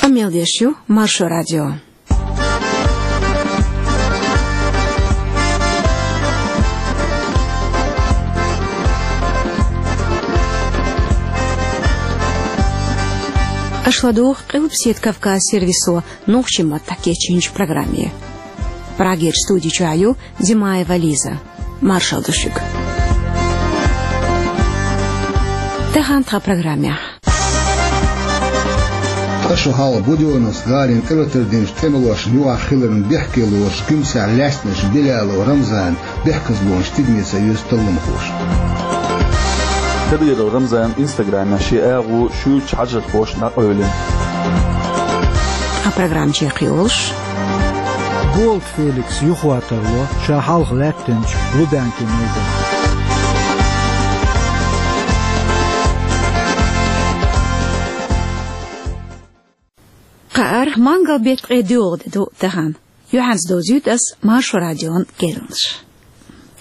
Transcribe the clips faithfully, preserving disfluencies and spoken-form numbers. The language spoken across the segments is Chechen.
Мел деш ю Маршо радио. Аша ладугӀу Къилбаседа Кавказ сервисо нохчийн маттахь кечйинчу программе. Прагера студи чохь ю Димаева Лиза. Маршалла ду шуьга. Тахана тхан программехь. Ткъа шо хьалха Будённовск гӀалин тӀелатар динчу тӀемалошна юкъахь хиларна бехке лоруш Гуьмсехь лаьцначу Билялов Рамзанан бехказлонаш тидаме ца оьцу талламхоша. Кадыров Рамзанан инстаграмехь шен агӀо шуьйрачу хьажархошна дӀакъевлина. Тхан программа чекхйолуш. Болт Феликс юхаватар ло ша хьалха лаьттинчу Лубянкин майданахь. Кхаара мангал-беттан ткъе доьалгӀа де ду тахана. Юьхьанца довзуьйту ас Маршо радион керланаш.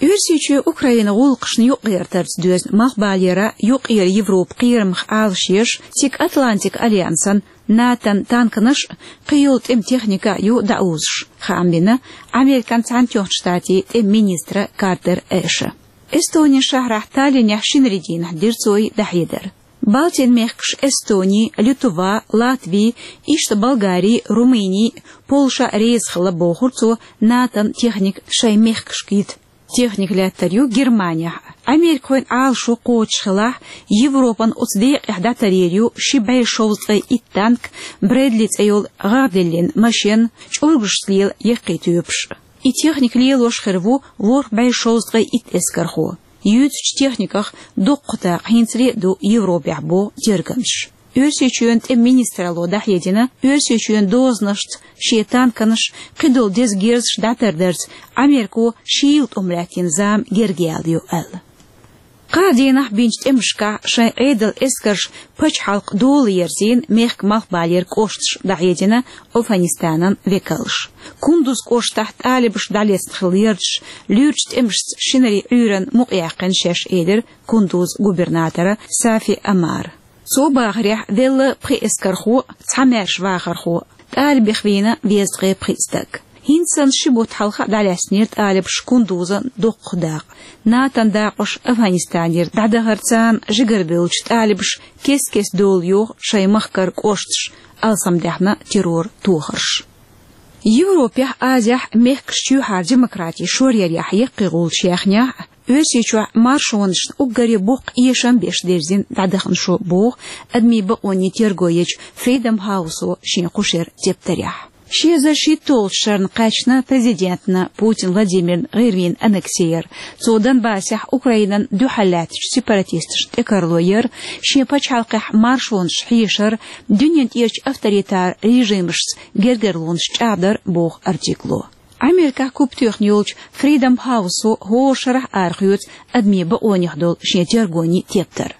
Оьрсийчоь Украинан гӀуллакхашна юкъагӀертарца доьзна малхбалера юккъера Европан кхерамах Ӏалашъеш, цига Атлантикан альянсан, НАТОн танканаш а, кхийолу тӀеман техника а ю дӀаузуш, хаам бина Американ Цхьаьнатоьхначу Штатийн тӀеман министра Картер Эша. Эстонин шахьарахь Таллинехь шинарин дийнахь дира цо и дӀахьедар. Балтийн мехкаш Эстони, Литва, Латви, иштта Болгари, Румыни, Польша реза хилла, бохура цо, НАТОн техника шайн мехкашка йита. Техника лаьттар ю Германехь. Америкахойн Ӏалашо кхочуш хилахь, Европана оцу декъехь дӀатарйийр ю ши бӀе шовзткъе итт танк, Брэдли цӀе йолу гӀагӀделлин машен, чӀургашца лела яккхий тоьпаш. И техника лелош хир ву ворхӀ бӀе шовзткъе итт эскархо. Юьйцучу техниках дуккха дакъа хӀинцале а ду Европехь, боху тергамчаша. Оьрсийчоьнан тӀеман министралло дӀахьедина, Оьрсийчоьнан дозанашца шен танканаш, кхидолу деза герзаш дӀатардарца Америко шийла тӀом лаьттина зама герга яьлла ю аьлла. Кхаа дийнахь бинчу тӀемашкахь шайн Ӏедалан эскарша пачхьалкх дола ерзийна мехкан малхбалера кӀошташ, дӀахьедина Афганистанан векалша. Кундуз кӀоштахь талибаша дӀалецна хилла ярташ луьрачу тӀемашца шинарин Ӏуьйранна мукъаяьккхина шаьш, элира Кундузан губернатора Сафи Омара. Цо бахарехь, велла пхи эскархо, цхьа маьрша вахархо, талибех вийна везткъе пхиъ стаг. ХӀинца санна ши бутт хьалха а дӀалаьцнера талибаша Кундузан доккхах дакъа. НАТОн дакъош Афганистанера дӀадахарца царна жигарабевллачу талибаша кест-кеста дола йоху шайн махкара кӀошташ, алсамдаьхна террор тохарш. Европехь, Азехь мехкаш чоьхьара демократи шоръярехь яккхий гӀулч яьхнехь а, Оьрсийчохь маршонашна уггаре боккха эшам беш дерзина дӀадахана шо, боху адамийн бакъонийн терго ечу Freedom House-о шен кху шеран тептарехь. Ши эзар шийтталгӀачу шарна кхаьчна президентна Путин Владимирна гӀирмийн аннекси яр. Цо Донбассехь Украинан дуьхьал лаьттачу сепаратисташна тӀекарло яр, шен пачхьалкхехь маршонаш хьешар, дуьнен тӀерачу авторитар режимашца гергарлонаш чӀагӀдар, боху артикло. Америкехь купатоьхна йолчу Freedom House-о хӀора шарахь арахоьцу адамийн бакъонех долу шен тергонийн тептар.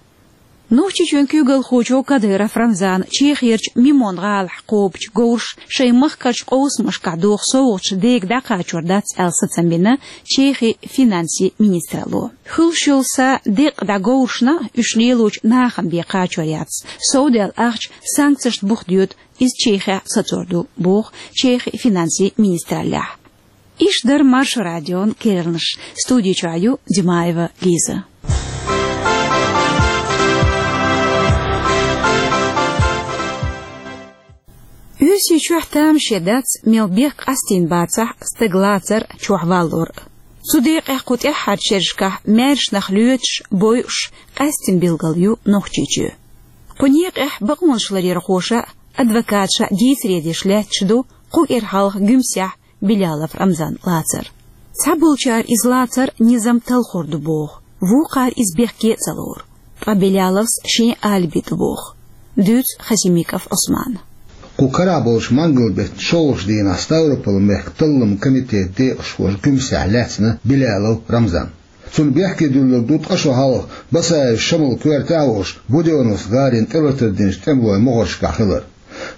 Нохчийчоьнан куьйгалхочо Кадыров Рамзана Чехерчу Мемон гӀалахь кхобучу говраша шайн махкарчу къовсамашкахь доху совгӀаташ дега дӀакхачор дац аьлла сацам бина Чехин финансийн министралло. Хуьлуш йолу са декъа дӀа говрашна, уьш лелочу нахана бен кхачор яц. Совдаьлла ахча санкцешна бух доьду, иза Чехехь сацор ду, боху Чехин финансийн министраллехь. Иштта дара Маршо радион керланаш. Студи чохь ю Димаева Лиза. Оьрсийчохь тамаше дац, мел бехк къастийна бацахь, стаг лацар, чохь валлор. Цу декъехь кху тӀаьххьарчу шерашкахь маьрша нах лоьцуш, бойуш, къаьстина билгал ю Нохчийчоь. Кху некъехь бакъонаш ларъярхоша а, адвокаташа а дийцаре деш лаьтташ ду кху кӀира хьалха Гуьмсехь Билялов Рамзан лацар. Цхьаболчара иза лацар низам талхор ду боху, вукхара иза бехке а ца лору. Ткъа Биляловс шен алиби ду боху. Дуьйцу Хасимиков Ӏусмана. Кху карахь болчу мангал-беттан шолгӀачу дийнахь Ставрополан мехкан талламан комитетан декъашхоша Гуьмсехь лаьцна Билялов Рамзан. Цунна бехке дуьллург ду ткъа шо хьалха Басаев Шамалан коьртехь а волуш, Будённовск гӀалин тӀелатар динчу тӀемалойн могӀаршкахь хилар.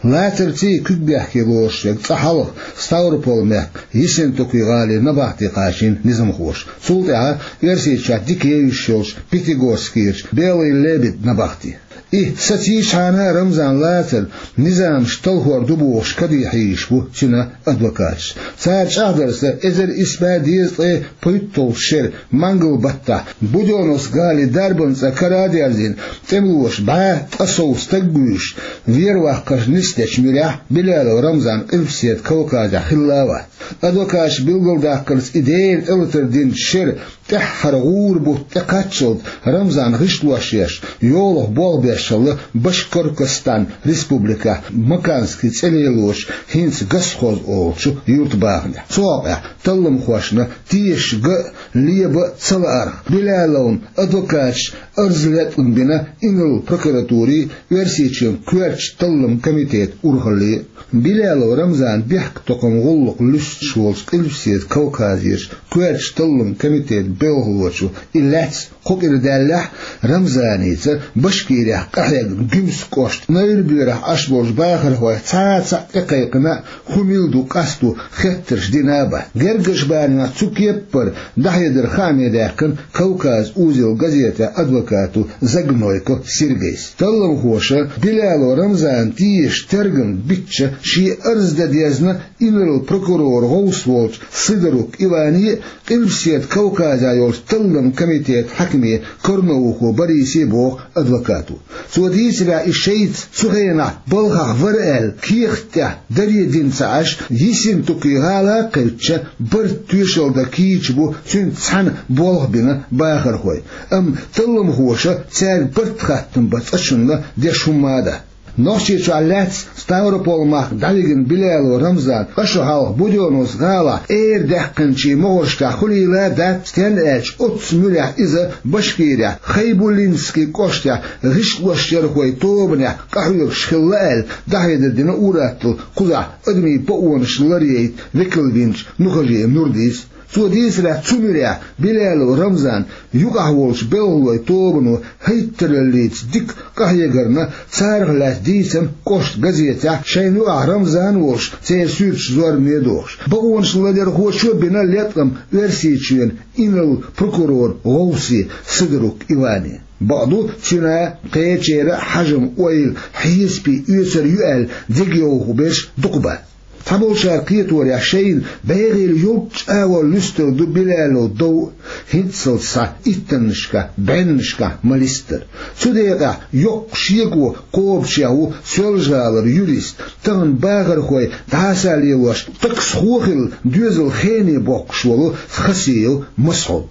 Лацарций, куьг бехке лоруш верг цкъа хьалха Ставрополан мехкан Ессентуки гӀалин набахти кхачийна низамхоша. Цул тӀаьхьа Оьрсийчохь дика евзаш йолчу Пятигорскерчу Белый лебедь набахти. И сацийчхьана Рамзан лацар низамаш талхор ду бохуш кадехьийш бу цуьнан адвокаташ. Цара чӀагӀдарца, эзар исс бӀе дезткъе пхийтталгӀачу шеран мангал баттахь Будённовск гӀалин дарбан цӀа кара а дерзийна, тӀемалоша бӀе ткъа сов стаг а вуьйш, вер ваккхарш нисдечу муьрехь Билалов Рамзан Къилбаседа Кавказехь хилла а вац. Адвокаташа билгалдаккхарца, и Дела тӀелатар динчу шеран тӀаьххьара гӀура бутт тӀекхаччалц Рамзан гӀишлош еш, йолах болх беш хилла Башкортостан республикехь Маканский цӀе лелочу, хӀинца Госхоз олучу юьртабахамехь. Цу хьокъехь талламхошна тешаш ган а, лебан а ца лаарх, Билаловн адвокаташа арз латкъам бина инарла прокуратуре а, Оьрсийчоьнан коьртачу талламан комитета урхалле а. Билалов Рамзанан бехктокхаман гӀуллакх луьстуш волчу Къилбаседа Кавказерчу коьртачу талламан комитетан белхалочо и лаьцна кхо кӀира даьллехь а, Рамзаница Башкирехь къахьегна Гуьмсан кӀоштан Найрбоьрахь Ӏаш болчу бахархойх цхьа а цхьаъ тӀекхайкхина а, хӀун мила ду, къасто хеттарш дина а бац. Гергарчу барамехь цу кеппара дӀахьедар хааме даьккхина «Кавказ узел» газетехь адвокато Загнойко Сергейс. Талламхоша Билалов Рамзанна тешаш тергам бичча, шен арз дан дезна инарла прокуроран гӀовс волчу Сидорук Иване а, Къилбаседа Кавказехь йолчу талламан комитетан хьаькаме Корноухов Борисе а, боху адвокато. Цо дийцарехь, и шайца цу хенахь балхахь вара аьлла, кехат тӀехь даре дина ца Ӏаш, Ессентуки гӀала а кхаьчча, барт тоьшалла дан кийча бу цуьнца цхьаьна болх бина бахархой. Амма талламхоша цаьрга барт хаттам бан цкъачунна деш хӀумма а дац. Нохчийчохь лаьцна Ставрополь-махка дӀавигина Билалов Рамзан ткъа шо хьалха Будённовск гӀалахь эр даьккхинчийн могӀаршкахь хуьлийла а дац, стенна аьлча оццу муьрехь иза Башкирехь Хайбулинский кӀоштехь гӀишлошъярхойн тобанехь къахьоьгуш хилла аьлла, дӀахьедар дина ур-атталла кхузахь адамийн бакъонаш ларъяйта векалвинчу Нухажиев Нурдис. Цо дийцарехь, цу муьрехь Билалов Рамзан юкъахь волчу белхалойн тобано хӀайттараллица дика къахьегарна, царах лаьцна дийцина кӀоштан газетехь шайна юкъахь Рамзан а волуш церан суьрташ зорбане а дохуш. Бакъонаш ларъярхочо а бина латкъам Оьрсийчоьнан инарла прокуроран гӀовсе Сидорук Иване. Бакъду, цуьнан, кхечеран а хьажам-ойла, хьесапе оьцур ю аьлла дегайовхо берш дукха бац. Цхьаболчара кхеторехь, шайна бӀегӀийла йолчу агӀор луьстур ду Билалов дов а, хӀинццалц схьа иттаннашкахь, бӀеннашкахь ма-листара. Цу декъехь йоккха шеко кхобучех ву Соьлжа-ГӀалара юрист, тахана бахархой дӀасалелош таксхо а хилла, доьзал хене боккхуш волу Хасиев Масхьуд.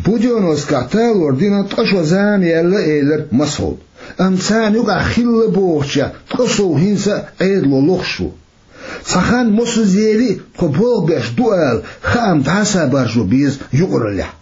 Будённовскехь талор дина ткъа шо зама яьлла, элира Масхьуда. Амма царна юкъахь хилла бохучех ткъа сов хӀинца а Ӏедало лохуш ву. Цхьа хан мосазза ели а, тхо болх беш ду ала, хаам дӀасабаржо беза юкъараллехь.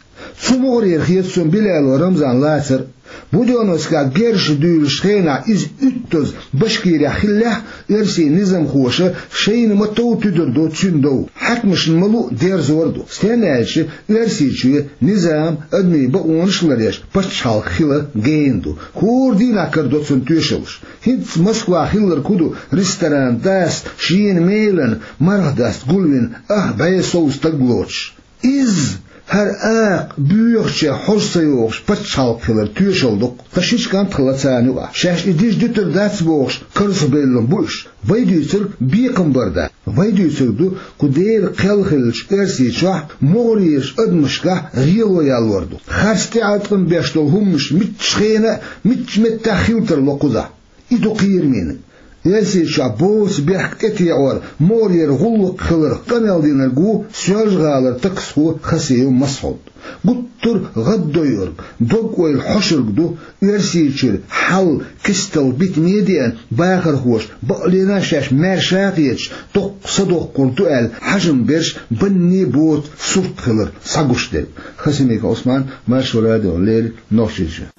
Цу могӀарера хета суна Билалов Рамзан лацар а. Будённовскехь герзаш дуьйлучу хенахь иза уьттазза Башкирехь хиллехь а, оьрсийн низамхоша шайна ма-тов туьдур ду цуьнан дов, хьаькамашна ма-луъу дерзор а ду. Стенна аьлча, Оьрсийчоь низам, адамийн бакъонаш а ларъеш пачхьалкх хила гена ду. ХӀора дийнахь карадо цунна тоьшаллаш. ХӀинца Москвахь хилларг хӀун ду, ресторан дас шена мелан марха даста гулвина ах бӀе сов стаг лоцуш? Иза, хӀара акха боьхачех хьожа ца йогӀуш пачхьалкх хилар тоьшалла ду-кх. Ткъа шича кӀант хилла царна юкъахь. Шаьш и дижа дуьтур дац бохуш карзахбевлла бу уьш. Вай дуьйцург бекхам бар дац. Вай дуьйцург ду, кху Дела кхел хиллачу Оьрсийчохь, могӀарерчу адамашкахь гӀело яллор ду. Харц тӀеӀаткъам беш долу хӀуманаш муьлххачу хенахь а, муьлххачу меттехь хила тарло кхузахь. И ду кхерамийн. Оьрсийчохь боцу бехк тӀетеӀор могӀарера гӀуллакх хиларх къамел динарг ву Соьлжа-ГӀалара таксхо Хасиев Масхьуд. Гуттар а гӀаддойург, дог-ойла хьошург ду Оьрсийчуьра хьал кестал битаме а деана, бахархоша бакъ лена а шаьш маьрша а хеташ, доккха са доккхур ду аьлла, хьажам берш банне а боцу сурт хилар схьагуш дерг. Хасимиков Ӏусман, Маршо радиона леррина, Нохчийчоь.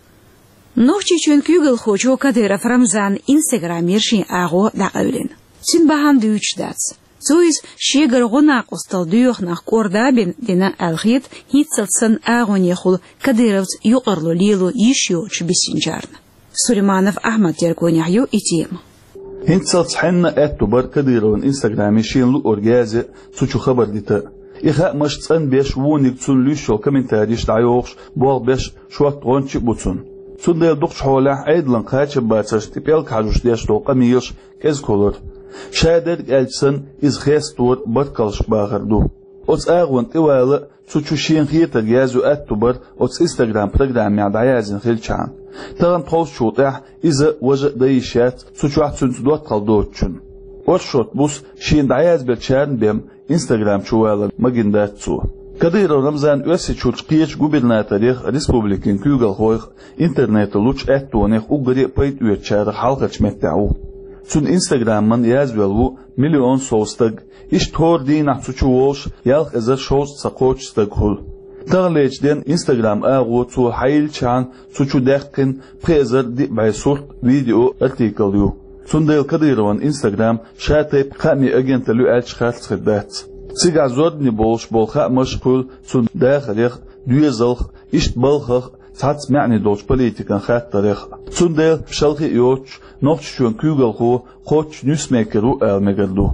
Нохчийчоьнан куьйгалхочо Кадыров Рамзанан инстаграмера шен агӀо дӀакъевлина. Цуьнан бахьана дуьйцуш дац. Цо иза шегара гӀо-накъосталла доьху нах кӀорда а бина дина аьлла хета, хӀинццалц санна агӀонехула Кадыровца юкъарло лело йиш йоцуш бисинчарна. Сулейманов Ахьмадан тергонехь ю и тема. ХӀинццалц хьенна а аьтто бара Кадыровн инстаграме шена луъург язъян а, цу чу хабар дитан а. И хаамаш цӀанбеш, вониг цунна луьйш йолу комментарийш дӀайохуш, болх беш шорта гӀончий а бу цунна. Цундела дукхачу хьолехь Ӏедалан кхачам бацаршна тӀе пӀелг хьажош деш долу къамелаш кӀезиг хилар. Ша дерг аьлча санна, иза хестор баркаллаш бахар ду. Оцу агӀонна тӀе вала а, цу чу шена хетарг язъю аьтту бар оцу Instagram программехь дӀаяздина хилчахьана. Тахана тховсачул тӀаьхьа иза а, важа а дан йиш яц цу чохь цуьнца доттагӀалла доцучунна. Оршот буса шена дӀаязбеллачарна бен Instagram чу валар магийна дац цо. Кадыров Рамзан Оьрсийчуьрчу кхечу губернаторех, республикин куьйгалхойх интернетан лучу аьттонех уггаре а пайда оьцучарах хьалхарчу меттехь ву. Цуьнан Instagram-ан язвелла ву миллион сов стаг. Иштта хӀора дийнахь цу чу волуш ялх эзар шовзткъа ца кхоччуш стаг хуьлу. Таханлерчу ден Instagram агӀо цо хьайиллачхьана цу чу даьккхина пхи эзар диъ бӀе сурт, видео, артикл ю. Цундела Кадыровн Instagram ша тайпа хаамийн агенталла ю аьлча харц хир дац. Цигахь зорбане болуш болу хаамаш а хуьлу цуьнан дахарех а, доьзалх а, иштта балхах а, цхьацца маьӀне долчу политикан хаттарех а. Цундела шалхе а йоцуш, Нохчийчоьнан куьйгалхо кхоччуш ньюсмейкер ву ала мегар ду.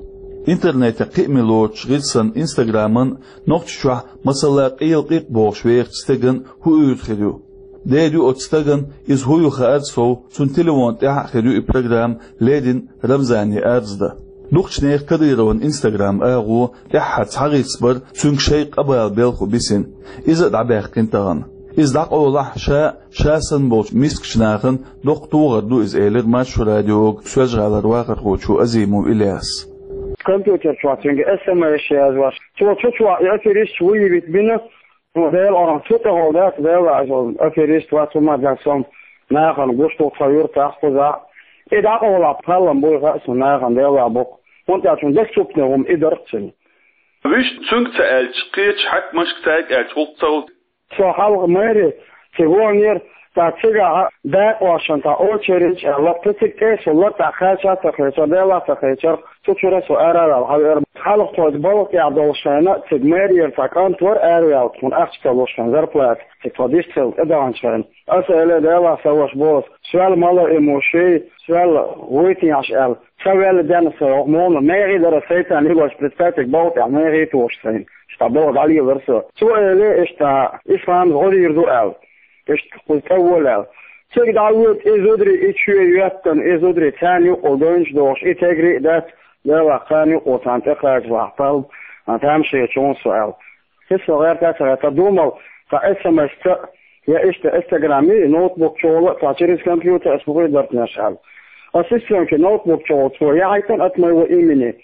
Интернетехь кхиаме лоруш гӀирсина Instagram-ан Нохчийчохь, масала, Къелакъикъ бохуш вехачу стеган хӀун уьйр хир ю? Дера ю оцу стагана, иза хӀун ю хаар сов, цуьнан телефон тӀехь а хир ю и программа, леррина Рамзане арз дан. Дукхачу нехан Кадыровн Instagram агӀо тӀаьххьара схьагӀирсабар цуьнга шайн къа бала белхо бисина. Иза а дӀабаьккхина тахана. Иза дӀакъовлахь, ша а, ша санна болчу мискачу нахана доккха тохар ду иза, элира Маршо радиога Соьлжа-ГӀалара вахархочо Азимов Ильяса. Компьютер чохь цуьнга эс эм эс язвеш, цо цу чохь и аферисташ выявить бина, ну, Делан орам цу тӀехула дац, Дела вац, аферист вац, хӀума дац, со нахана гуш ду тхан юьртахь, кхузахь. И дӀакъовлахь, пхьалам буй хаьа суна нахана, Дела бу-кх. ХӀунда аьлча цуьнан декъаза цупне хӀума и дара-кх цуьнан. Вуьшта цуьнга ца аьлча, кхечу хьаькамашка цаьрга аьлча гӀуллакх ца хуьлу. Со хьалха мэри цига вонера, ткъа цигахь дакъа вошна, ткъа очередь аьлла, ткъа цига тӀе а суллара, ткъа кхача а ца кхечара, Дела а ца кхечара, цу чуьра со ара а ваьлла хьавеара. Хьалха тхоьца балха тӀехь долуш хенахь, цига мэрера цхьа кӀант вара араваьлла, тхуна ахча ца луш хенахь, зарплата, цига тхо дистхила тӀедаханчу хенахь. Аса элира, Дела, сан ваша боху, соьл малоимущий, соьл вуйтинехь аьлла. Ца ваьлла денна со, хӀокху муха мехий дара, сайтан лелош, представьте, балха тӀехь мехий тухуш сайна. Иштта балха дӀалелара со. Цо элира, иштта исламца гӀо дийр ду аьлла. Иштта кхуза тӀе а вола аьлла. Цига дӀавоьду и зударий, и чоь йоьттина, и зударий царна юкъахула девнаш дохуш, и тегри а дац, Дела, кхарна юкъахула царна тӀекхачалахь, пал, а, тамашийна чу ву со аьлла. Хи со гӀерта а ца гӀерта, думал, цхьа эс эм эс-ца, я иштта Instagram-и, ноутбук чухула, цхьа через компьютер ас хӀун хир дара-те аьлла. Ассистентки ноутбук чухула цо яхьийтина от моего имени.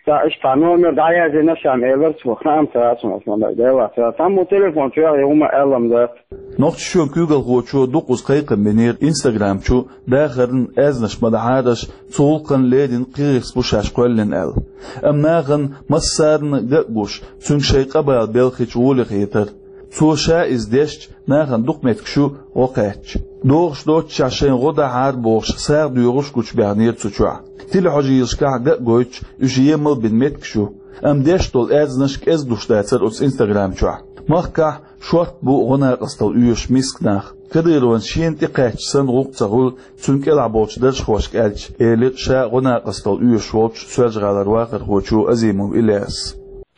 Цхьа иштта номер дӀаяздина ша-м, элира цо, хаам ца яц хьуна ас ма-дарра, Дела, ца. Таммо телефон чу яхье хӀума аьлла-м дац. Нохчийчоьнан куьйгалхочо дукхаза кхайкхам бинера Instagram чу дахарна аьзнаш ма дахьара аша, цу гӀуллакхана леррина кхин гӀирс бу шаьш кхоьллина аьлла. Амма нахана массарна ган а гуш, цуьнга шайн къа бала белхийча гӀоле хетара. Цо ша иза дешча, нахана дукха меттигаш ю гӀо кхаьчча. ДогӀуш доццушехь шайна гӀо дахьара бохуш, сагӀа доьхуш гучубаьхнера цу чохь. Телехьожийлашкахь ган а гойтуш, уьш емал а бина меттигаш ю. Амма деш долу аьзнаш кӀезиг луш дацара оцу Instagram чохь. Махкахь шортта бу гӀо-накъосталла оьшуш миска нах. Кадыровн шена тӀекхаьчча санна гӀуллакх ца хуьлу, цуьнан кӀелахь болчу даржхошка аьлча, элира ша гӀо-накъосталла оьшуш волчу Соьлжа-ГӀалара вахархочо Азимов Ильясас.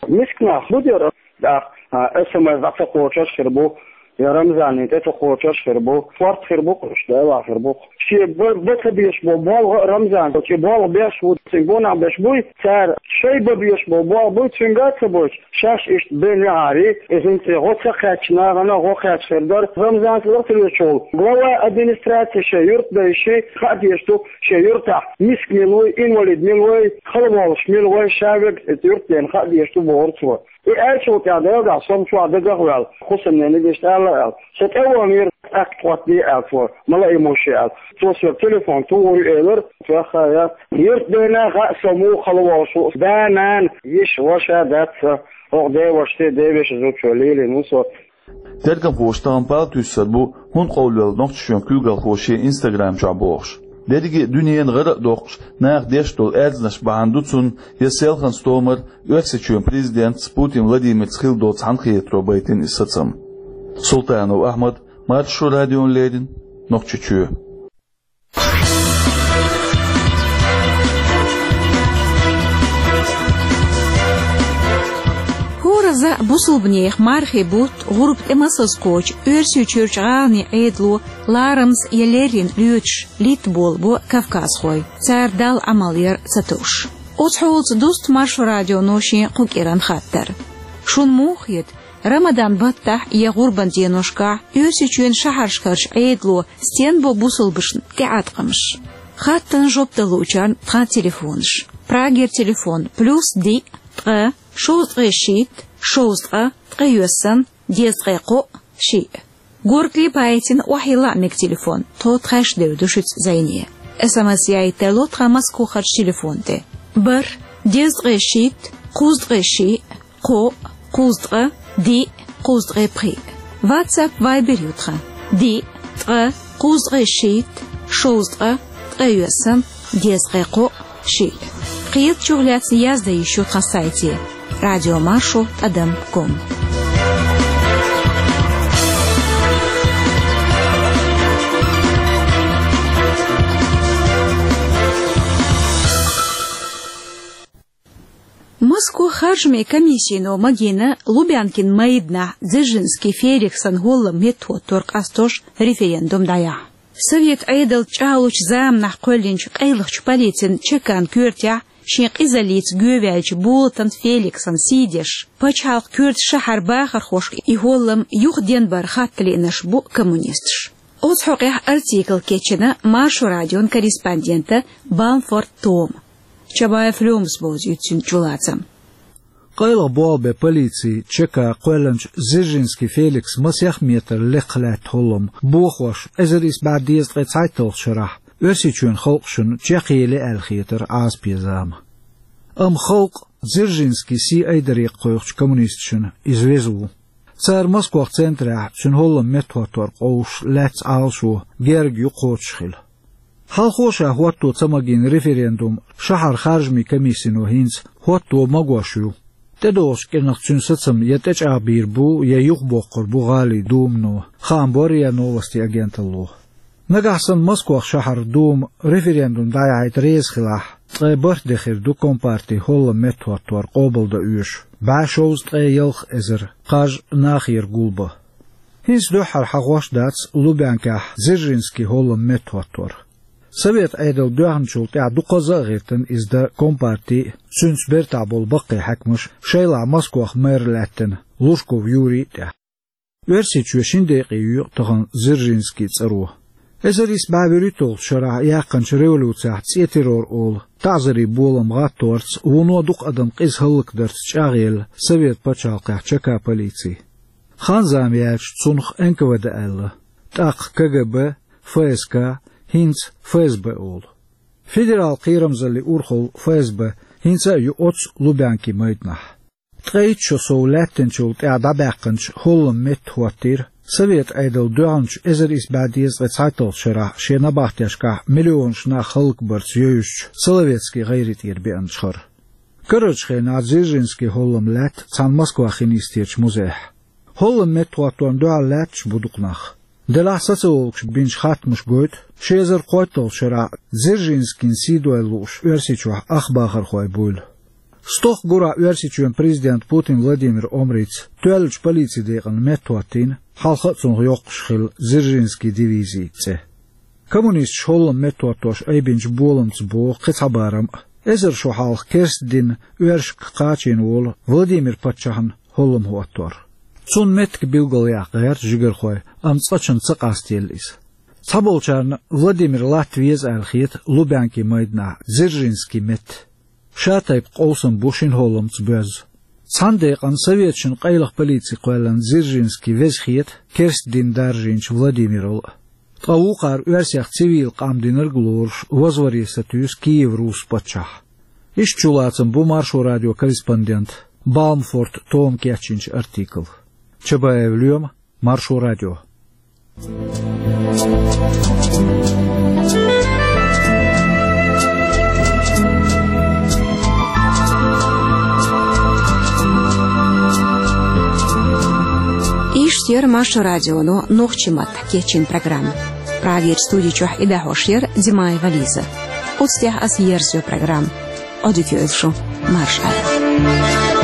Миска нах хӀун дера, тӀаккха, а, эс эм эс дӀа ца кхочуш хир бу, я Рамзанна тӀе ца кхочуш хир бу, шортта хир бу-кх уьш, Дела, хир бу-кх. Шен ба-, бан ца безаш болу болх а Рамзана, и болх беш ву, цуьнан гонах беш буй, цара шайн бан безаш болу болх буй, цуьнга а ца бойтуш, шаьш иштта бен яхьарий, и хӀинца гӀо ца кхаьчча нахана гӀо кхаьчна хир дара, Рамзанца лахталечул. Глава администрации шен юьртдайши хаа дезаш ду, шен юьртахь миска мила вуй, инвалид мила вуй, халаволуш мила вуй, ша верг и юьртдена хаа дезаш ду, бохура цо. И аьллачул тӀаьхьа Делан дуьхьа со-м чохь дагах а ваьлла, хӀусамнениг иштта аьлла аьлла. Со тӀе а вахнера, тӀаккха тхоттаде аьлла цо, малоимущий аьлла. Цо соьга телефон тухур ю элира, тӀаккха я юьртдена хаьа со муха хала волуш ву, да, нана, йиша, ваша дац сан, хӀокху девашас, девешин зудчо лелийна ву со. Тергамхоша тахана пал туьйсур бу, хӀунда къовлавелла Нохчийчоьнан куьйгалхо шен Instagram чохь бохуш. Дерриге а дуьненан гӀара а доккхуш, наха деш долу аьрзнаш бахьана ду цунна я селхана стомара Оьрсийчоьнан президентца Путин Владимирца хилла долу цхьаьнакхетаро байтина иза сацам. Султанов Ахьмад, Маршо радиона леррина, Нохчийчоь. ХӀора За бусулбанех мархий бутт гӀурба тӀе масаза кхочу Оьрсийчуьрчу гӀаланийн Ӏедало ларамза я леррина лоьцуш литта болабо кавказхой, цара Далла Ӏамал яр ца товш. Оцу хьолаца дуста Маршо радионо шен кху кӀиран хаттар. Шуна муха хета, Рамадан баттахь я гӀурбан деношкахь Оьрсийчоьнан шахьаршкарчу Ӏедало стенна бо бусулбанашна тӀеӀаткъамаш? Хаттарна жоп далучарна тхан телефонаш. Прагера телефон: плюс диъ, ткъа, шовзткъе шийтта, шовзткъа, ткъе йоьсна, дезткъе кхоъ, шиъ. Горгали байтина охьайилла а мега телефон, тхо тхаьш девр ду шуьца зӀене. СМС яийта тарло тхан Москохарчу телефон тӀе: бархӀ, дезткъе шийтта, кхузткъе шиъ, кхоъ, кхузткъа, диъ, кхузткъе пхиъ. WhatsApp, Viber ю тхан: диъ, ткъа, кхузткъе шийтта, шовзткъа, ткъе йоьсна, дезткъе кхоъ, шиъ. Кхетачух лаьцна яздан йиш ю тхан сайте: радиомаршо тӀадам ком. Москох харжамийн комиссино магийна Лубянкин майданахь Дзержинский Феликсан хӀолламан меттахӀоттор къастош референдум дӀаяхьа. Совет Ӏедалца чӀагӀлучу заманахь кхоьллинчу къайлахчу полицин чекан коьртехь шен къизаллица гоьваьллачу Болатан Феликсан сий деш, пачхьалкхан коьртачу шахьаран бахархошка и хӀоллам юха денбар хатта лиънарш бу коммунисташ. Оцу хьокъехь артикл кечйина Маршо радион корреспондента Балмфорт Тома. Чабаев Лёмас бовзуьйту цуьнан чулацам. Къайлаха болх бен полицин чека кхоьллинчу Дзержинский Феликс масех метр лекха лаьтта хӀоллам бохош, эзар исс бӀе дезткъе цхьайтталгӀачу шарахь Оьрсийчоьнан халкъашна чекхъели аьлла хетара Ӏазапе зама. Амма халкъ Дзержинскин сий айдаре кхойкхучу коммунисташна иза веза ву. Цара Москох центрехь цуьнан хӀолламан меттахӀоттор къовсуш лаьцна Ӏалашо герга юкъахӀотташ хилла. Хьалхо ша хӀотто ца магийна референдум шахьаран харжамийн комиссино хӀинца хӀотто магош ю. ТӀедогӀучу кӀирнах цуьнан сацам я тӀечӀагӀбийр бу, я юхабоккхур бу гӀалин думано, хаам бо РИА Новости агенталло. Нагахь санна Москох шахьаран дума референдум дӀаяхьийта реза хилахь, ткъе бархӀ де хир ду компартин хӀолламан меттахӀоттор къобалдан оьшуш, бӀе шовзткъе ялх эзар кхаж нахера гулбан. ХӀинца дуьххьара хьахош дац Лубянкехь Дзержинскин хӀолламан меттахӀоттор. Совет Ӏедал доьхначул тӀаьхьа дукхазза а гӀиртина иза дан компартий а, цуьнца бертахь болу баккхий хьаькамаш, шайлахь Москох мэр лаьттина Лужков Юрий а тӀехь. Оьрсийчоь шина декъе йоькъу тахана Дзержинскин цӀаро. Эзар исс бӀе вуьрхӀитталгӀачу шарахь яьккхинчу революцехь цӀен террор олу таӀзарийн болам гӀатторца, вуно дукха адам къиза хӀаллакдарца чӀагӀъелла Совет пачхьалкхехь чека полици. Хан-зама яьлча цунах Н К В Д аьлла, тӀаккха К Г Б, Ф С К, хӀинца Ф С Б олу. Федералан кхерамзаллин урхалла Ф С Б хӀинца а ю оццу Лубянкин майданахь. Ткъе итт шо сов лаьттинчул тӀаьхьа дӀабаьккхинчу хӀолламан метта хӀоттийра Совет Ӏедал доьхначу эзар исс бӀе дезткъе цхьайтталгӀачу шарахь шен набахтешкахь миллионаш нах хӀаллакбарца евзачу Соловецкий гӀайре тӀера беанчу хӀара. Карарчу хенахь Дзержинскин хӀолламан лаьтта цхьана Москвахь хин йистерчу музейхь. ХӀолламан метта хӀотторна дуьхьал лаьтташ бу дукха нах. Делахь социологаша бинчу хаттамаша гойту, ши эзар кхойтталгӀачу шарахь Дзержинскин сий дойла лууш Оьрсийчохь ах бахархой буйла. Стохка гурахь Оьрсийчоьнан президента Путин Владимира омрица тоьллачу полицин декъана метта хӀоттийна, хьалха а цунах йоккхуш хилла Дзержинскин дивизин цӀе. Коммунисташа хӀолламан метта хӀоттош айбинчу боламца богӀу кхин цхьа барам а. Эзар шо хьалха керста дин оьрсашка кхачийна волу Владимир паччахьна хӀолламан хӀоттор. Цунна меттиг билгалъяккха гӀерта жигархой, амма цкъачунна ца къастаелла иза. Цхьаболчарна Владимир латта веза аьлла хета Лубянкин майданахь Дзержинскин метта. Ша тайпа къовсам бу шина хӀолламца боьзна. Цхьана декъана советашна къайлаха полици кхоьллина Дзержинский веза хета керста дин даржийначу Владимирал а. Ткъа вукхара оьрсех цивил къам динарг а лоруш, вазварен сатуьйсу Киев-Рус паччахь. Иштта чулацам бу Маршо радион корреспондента Балмфорт Тома кечйинчу артикла. Чабаев Лоьма, Маршо радио. Иштта яра Маршо радионо нохчийн маттахь кечйина программа. Прагерчу студи чохь и дӀахьош яра Димаева Лиза. Оцу тӀехь ас ерзайо программа. Ӏодика йойла шу, марша Ӏайла.